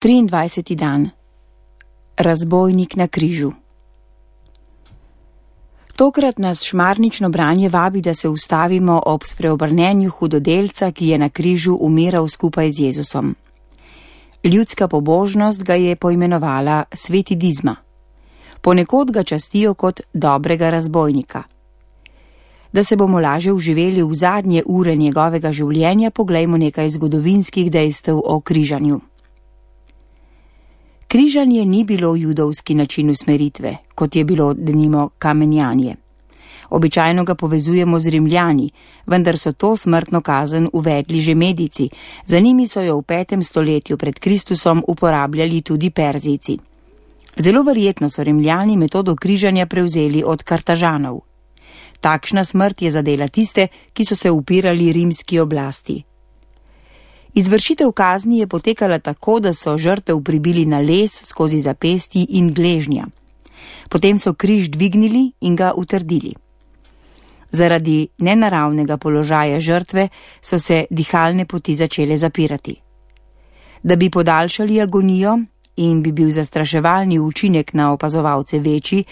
23. dan. Razbojnik na križu. Tokrat nas šmarnično branje vabi, da se ustavimo ob spreobrnenju hudodelca, ki je na križu umiral skupaj z Jezusom. Ljudska pobožnost ga je poimenovala Sveti Dizma. Ponekod ga častijo kot dobrega razbojnika. Da se bomo laže vživeli v zadnje ure njegovega življenja, poglejmo nekaj zgodovinskih dejstev o križanju. Križanje ni bilo judovski način usmeritve, kot je bilo denimo kamenjanje. Običajno ga povezujemo z Rimljani, vendar so to smrtno kazen uvedli že Medici, za njimi so jo v 5. stoletju pred Kristusom uporabljali tudi Perzijci. Zelo verjetno so Rimljani metodo križanja prevzeli od Kartažanov. Takšna smrt je zadela tiste, ki so se upirali rimski oblasti. Izvršitev kazni je potekala tako, da so žrtev pribili na les skozi zapestji in gležnja. Potem so križ dvignili in ga utrdili. Zaradi nenaravnega položaja žrtve so se dihalne poti začele zapirati. Da bi podaljšali agonijo in bi bil zastraševalni učinek na opazovalce večji,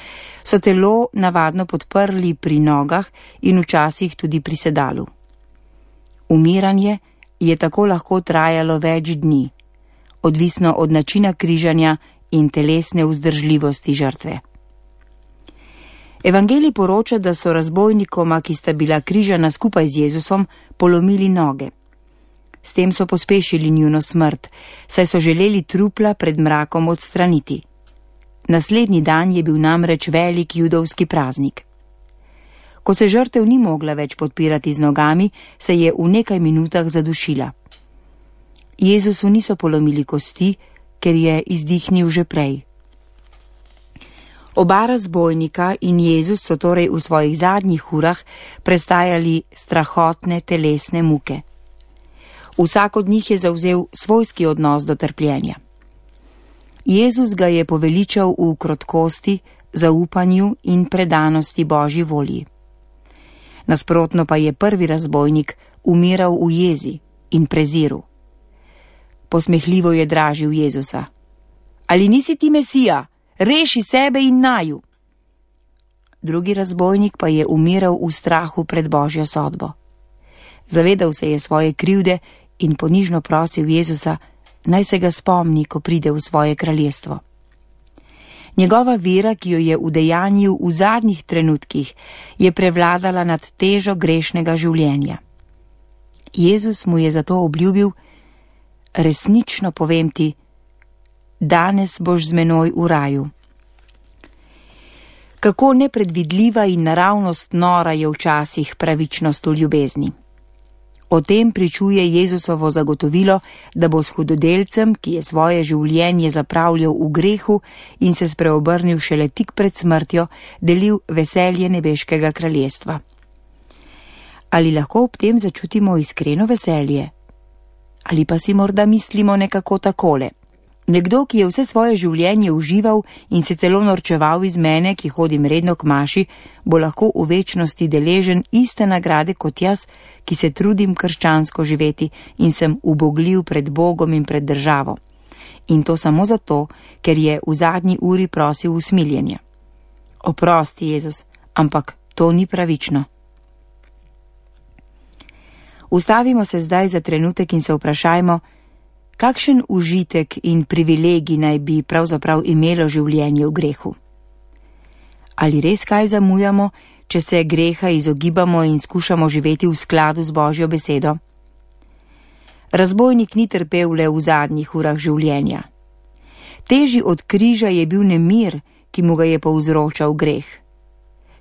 so telo navadno podprli pri nogah in včasih tudi pri sedalu. Umiranje je tako lahko trajalo več dni, odvisno od načina križanja in telesne vzdržljivosti žrtve. Evangelij poroča, da so razbojnikoma, ki sta bila križana skupaj z Jezusom, polomili noge. S tem so pospešili njuno smrt, saj so želeli trupla pred mrakom odstraniti. Naslednji dan je bil namreč velik judovski praznik. Ko se žrtev ni mogla več podpirati z nogami, se je v nekaj minutah zadušila. Jezusu niso polomili kosti, ker je izdihnil že prej. Oba razbojnika in Jezus so torej v svojih zadnjih urah prestajali strahotne telesne muke. Vsak od njih je zavzel svojski odnos do trpljenja. Jezus ga je poveličal v krotkosti, zaupanju in predanosti Božji volji. Nasprotno pa je prvi razbojnik umiral v jezi in preziru. Posmehljivo je dražil Jezusa. Ali nisi ti Mesija? Reši sebe in naju. Drugi razbojnik pa je umiral v strahu pred Božjo sodbo. Zavedal se je svoje krivde in ponižno prosil Jezusa, naj se ga spomni, ko pride v svoje kraljestvo. Njegova vera, ki jo je udejanjil v zadnjih trenutkih, je prevladala nad težo grešnega življenja. Jezus mu je zato obljubil, resnično povem ti, danes boš z menoj v raju. Kako nepredvidljiva in naravnost nora je včasih pravičnost v ljubezni. O tem pričuje Jezusovo zagotovilo, da bo s hudodelcem, ki je svoje življenje zapravljal v grehu in se spreobrnil šele tik pred smrtjo, delil veselje nebeškega kraljestva. Ali lahko ob tem začutimo iskreno veselje? Ali pa si morda mislimo nekako takole? Nekdo, ki je vse svoje življenje užival in se celo norčeval iz mene, ki hodim redno k maši, bo lahko v večnosti deležen iste nagrade kot jaz, ki se trudim krščansko živeti in sem ubogljiv pred Bogom in pred državo. In to samo zato, ker je v zadnji uri prosil usmiljenja. Oprosti, Jezus, ampak to ni pravično. Ustavimo se zdaj za trenutek in se vprašajmo, kakšen užitek in privilegij naj bi pravzaprav imelo življenje v grehu? Ali res kaj zamujamo, če se greha izogibamo in skušamo živeti v skladu z Božjo besedo? Razbojnik ni trpel le v zadnjih urah življenja. Težji od križa je bil nemir, ki mu ga je povzročal greh.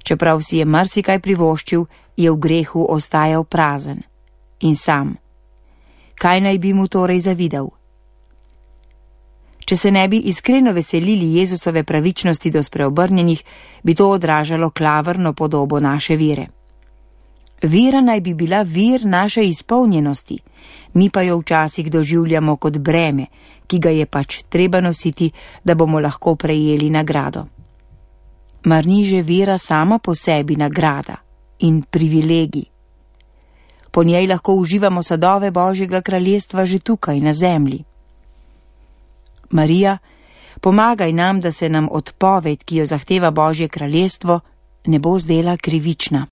Čeprav si je marsikaj privoščil, je v grehu ostajal prazen in sam. Kaj naj bi mu torej zavidal? Če se ne bi iskreno veselili Jezusove pravičnosti do spreobrnjenih, bi to odražalo klavrno podobo naše vere. Vera naj bi bila vir naše izpolnjenosti, mi pa jo včasih doživljamo kot breme, ki ga je pač treba nositi, da bomo lahko prejeli nagrado. Mar ni že vera sama po sebi nagrada in privilegij? Po njej lahko uživamo sadove Božjega kraljestva že tukaj na zemlji. Marija, pomagaj nam, da se nam odpoved, ki jo zahteva Božje kraljestvo, ne bo zdela krivična.